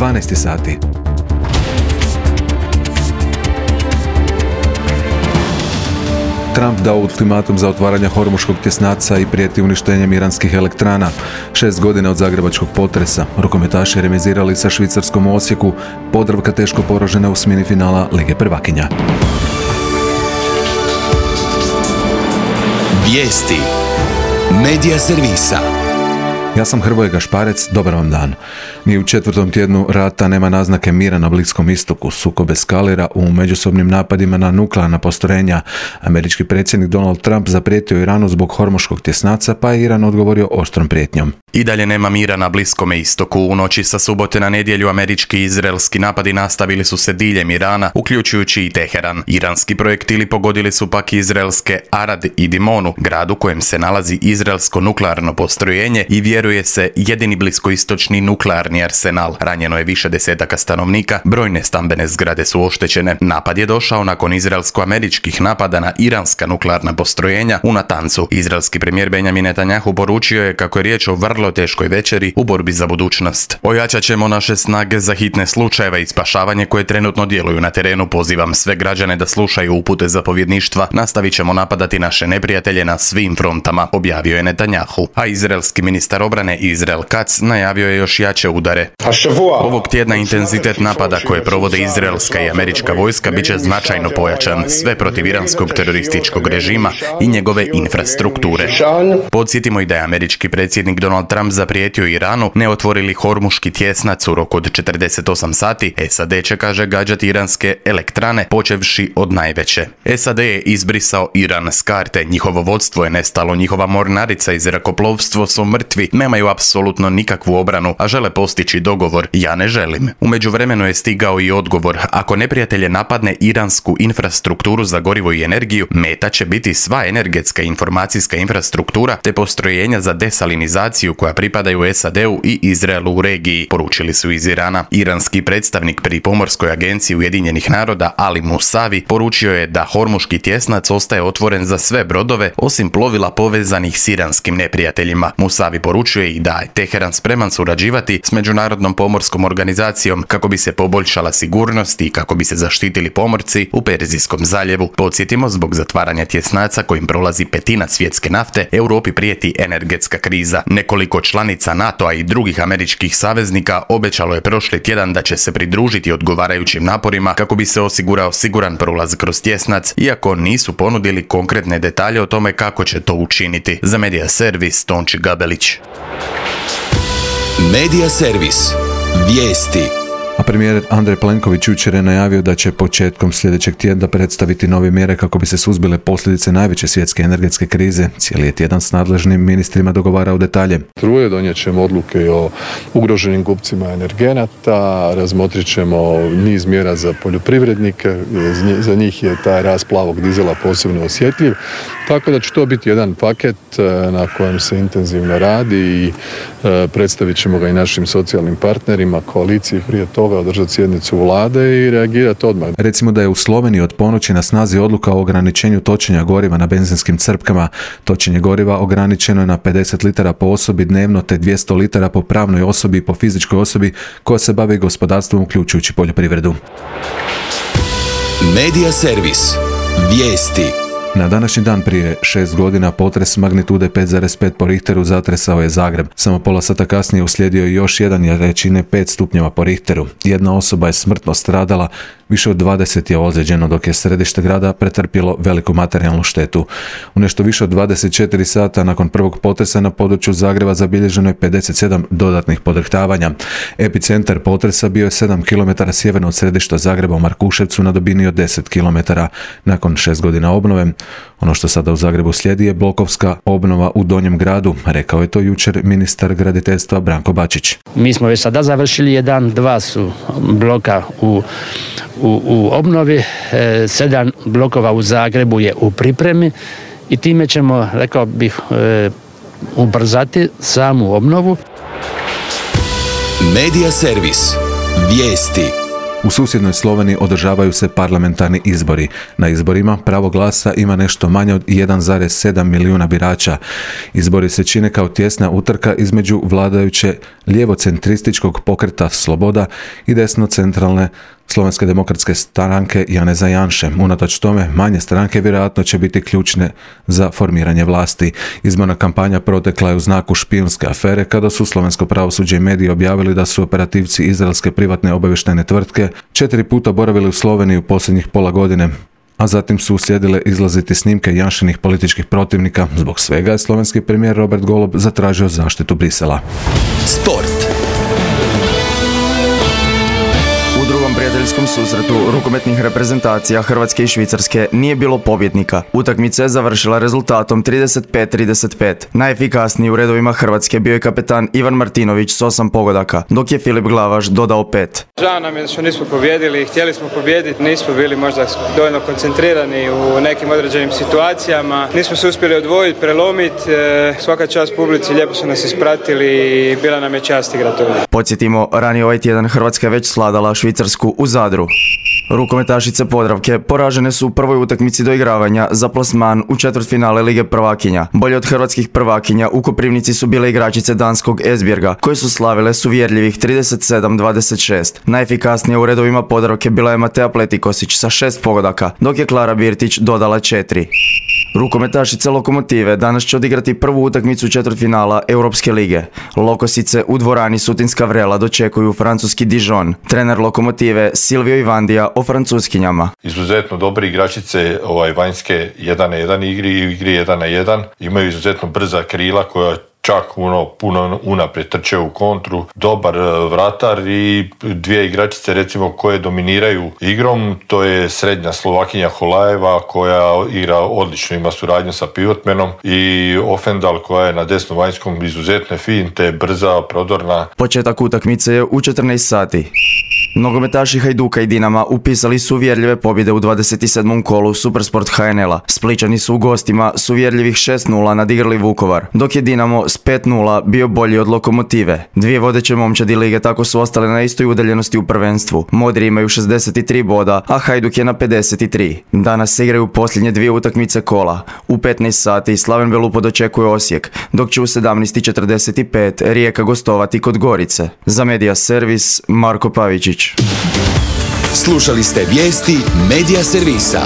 12 sati. Trump dao ultimatum za otvaranje Hormuškog tjesnaca i prijeti uništenjem iranskih elektrana. 6 godina od zagrebačkog potresa. Rukometaši remizirali sa Švicarskom u Osijeku, Podravka teško poražena u smjeni finala Lige prvakinja. Vijesti Medija servisa. Ja sam Hrvoje Gašparec, dobar vam dan. Ni u 4. tjednu rata nema naznake mira na Bliskom istoku. Sukob eskalira u međusobnim napadima na nuklearna postrojenja. Američki predsjednik Donald Trump zaprijetio Iranu zbog Hormuškog tjesnaca, pa je Iran odgovorio oštrom prijetnjom. I dalje nema mira na Bliskome istoku. U noći sa subote na nedjelju američki i izraelski napadi nastavili su se diljem Irana, uključujući i Teheran. Iranski projektili pogodili su pak izraelske Arad i Dimonu, grad u kojem se nalazi izraelsko nuklearno postrojenje i vjeruje se jedini bliskoistočni nuklearni arsenal. Ranjeno je više desetaka stanovnika, brojne stambene zgrade su oštećene. Napad je došao nakon izraelsko-američkih napada na iranska nuklearna postrojenja u Natancu. Izraelski premijer Benjamin Netanjahu poručio je kako je riječ o vrlo teškoj večeri u borbi za budućnost. Ojačat ćemo naše snage za hitne slučajeve i spašavanje koje trenutno djeluju na terenu. Pozivam sve građane da slušaju upute zapovjedništva. Nastavit ćemo napadati naše neprijatelje na svim frontama, objavio je Netanjahu. A izraelski ministar obrane Izrael Katz najavio je još jače udare. Ovog tjedna intenzitet napada koje provode izraelska i američka vojska bit će značajno pojačan, sve protiv iranskog terorističkog režima i njegove infrastrukture. Podsjetimo i da je američki predsjednik Donald Trump zaprijetio Iranu ne otvorili Hormuški tjesnac u roku od 48 sati. SAD će, kaže, gađati iranske elektrane počevši od najveće. SAD je izbrisao Iran s karte, njihovo vodstvo je nestalo, njihova mornarica i zrakoplovstvo su mrtvi, nemaju apsolutno nikakvu obranu, a žele postići dogovor. Ja ne želim. U međuvremenu je stigao i odgovor. Ako neprijatelje napadne iransku infrastrukturu za gorivo i energiju, meta će biti sva energetska i informacijska infrastruktura te postrojenja za desalinizaciju koja pripadaju SAD-u i Izraelu u regiji, poručili su iz Irana. Iranski predstavnik pri Pomorskoj agenciji Ujedinjenih naroda Ali Musavi poručio je da Hormuški tjesnac ostaje otvoren za sve brodove osim plovila povezanih s iranskim neprijateljima. Musavi poručuje i da je Teheran spreman surađivati s Međunarodnom pomorskom organizacijom kako bi se poboljšala sigurnost i kako bi se zaštitili pomorci u Perzijskom zaljevu. Podsjetimo, zbog zatvaranja tjesnaca kojim prolazi petina svjetske nafte, Europi prijeti energetska kriza. Nekoliko članica NATO-a i drugih američkih saveznika obećalo je prošli tjedan da će se pridružiti odgovarajućim naporima kako bi se osigurao siguran prolaz kroz tjesnac, iako nisu ponudili konkretne detalje o tome kako će to učiniti. Za Medija servis Tonči Gabelić. Medija servis. Vijesti. A premijer Andrej Plenković jučer je najavio da će početkom sljedećeg tjedna predstaviti nove mjere kako bi se suzbile posljedice najveće svjetske energetske krize. Cijeli je tjedan s nadležnim ministrima dogovarao detalje. Struje donijet ćemo odluke o ugroženim kupcima energenata, razmotrit ćemo niz mjera za poljoprivrednike, za njih je taj rast plavog dizela posebno osjetljiv, tako da će to biti jedan paket na kojem se intenzivno radi i predstavit ćemo ga i našim socijalnim partnerima, koaliciji prije toga, održati sjednicu vlade i reagirati odmah. Recimo da je u Sloveniji od ponoći na snazi odluka o ograničenju točenja goriva na benzinskim crpkama. Točenje goriva ograničeno je na 50 litara po osobi dnevno te 200 litara po pravnoj osobi i po fizičkoj osobi koja se bavi gospodarstvom uključujući poljoprivredu. Medija servis. Vijesti. Na današnji dan prije 6 godina potres magnitude 5,5 po Richteru zatresao je Zagreb. Samo pola sata kasnije uslijedio je još jedan jačine 5 stupnjeva po Richteru. Jedna osoba je smrtno stradala, više od 20 je ozlijeđeno, dok je središte grada pretrpjelo veliku materijalnu štetu. U nešto više od 24 sata nakon prvog potresa na području Zagreba zabilježeno je 57 dodatnih podrhtavanja. Epicentar potresa bio je 7 km sjeverno od središta Zagreba u Markuševcu na dubini od 10 km. Nakon 6 godina obnove, ono što sada u Zagrebu slijedi je blokovska obnova u Donjem gradu, rekao je to jučer ministar graditeljstva Branko Bačić. Mi smo već sada završili 2 su bloka u obnovi, 7 blokova u Zagrebu je u pripremi i time ćemo, rekao bih, ubrzati samu obnovu. Medija servis. Vijesti. U susjednoj Sloveniji održavaju se parlamentarni izbori. Na izborima pravo glasa ima nešto manje od 1,7 milijuna birača. Izbori se čine kao tjesna utrka između vladajuće lijevocentrističkog pokreta Sloboda i desno-centralne Slovenske demokratske stranke Janeza Janše. Unatoč tome, manje stranke vjerojatno će biti ključne za formiranje vlasti. Izborna kampanja protekla je u znaku špijunske afere kada su slovensko pravosuđe i mediji objavili da su operativci izraelske privatne obavještajne tvrtke 4 puta boravili u Sloveniji u posljednjih pola godine, a zatim su uslijedile izlaziti snimke Janšinih političkih protivnika. Zbog svega je slovenski premijer Robert Golob zatražio zaštitu Brisela. Sport. U drugom prijateljskom susretu rukometnih reprezentacija Hrvatske i Švicarske nije bilo pobjednika. Utakmica je završila rezultatom 35-35. Najefikasniji u redovima Hrvatske bio je kapetan Ivan Martinović s 8 pogodaka, dok je Filip Glavaš dodao 5. Žao nam je što nismo pobijedili, htjeli smo pobijediti, nismo bili možda dovoljno koncentrirani u nekim određenim situacijama, nismo se uspjeli odvojiti, prelomiti, svaka čast publici, lijepo su nas ispratili i bila nam je čast igrati ovdje. Podsjetimo, ranije ovaj tjedan Hrvatska je već svladala Švicarsku u Zadru. Rukometašice Podravke poražene su u prvoj utakmici doigravanja za plasman u četvrtfinale Lige prvakinja. Bolje od hrvatskih prvakinja u Koprivnici su bile igračice danskog Esbjerga, koje su slavile s uvjerljivih 37-26. Najefikasnija u redovima Podravke bila je Matea Pletikosić sa 6 pogodaka, dok je Klara Birtić dodala 4. Rukometašice Lokomotive danas će odigrati prvu utakmicu četvrtfinala Europske lige. Lokosice u dvorani Sutinska Vrela dočekuju francuski Dijon. Trener Lokomotive Silvio Ivandija o francuskinjama. Izuzetno dobre igračice vanjske 1-1 igri 1-1. Imaju izuzetno brza krila koja čak puno unaprijed trče u kontru, dobar vratar i dvije igračice recimo koje dominiraju igrom, to je srednja Slovakinja Holajeva koja igra odlično, ima suradnju sa pivotmenom i Ofendal koja je na desnom vanjskom izuzetne finte, brza, prodorna. Početak utakmice je u 14 sati. Nogometaši Hajduka i Dinama upisali su uvjerljive pobjede u 27. kolu Supersport HNL-a. Splićani su u gostima s uvjerljivih 6-0 nadigrali Vukovar, dok je Dinamo s 5-0 bio bolji od Lokomotive. Dvije vodeće momčadi lige tako su ostale na istoj udaljenosti u prvenstvu. Modri imaju 63 boda, a Hajduk je na 53. Danas se igraju posljednje dvije utakmice kola. U 15 sati Slaven Belupo dočekuje Osijek, dok će u 17:45 Rijeka gostovati kod Gorice. Za Media Servis, Marko Pavičić. Slušali ste vijesti Media Servisa.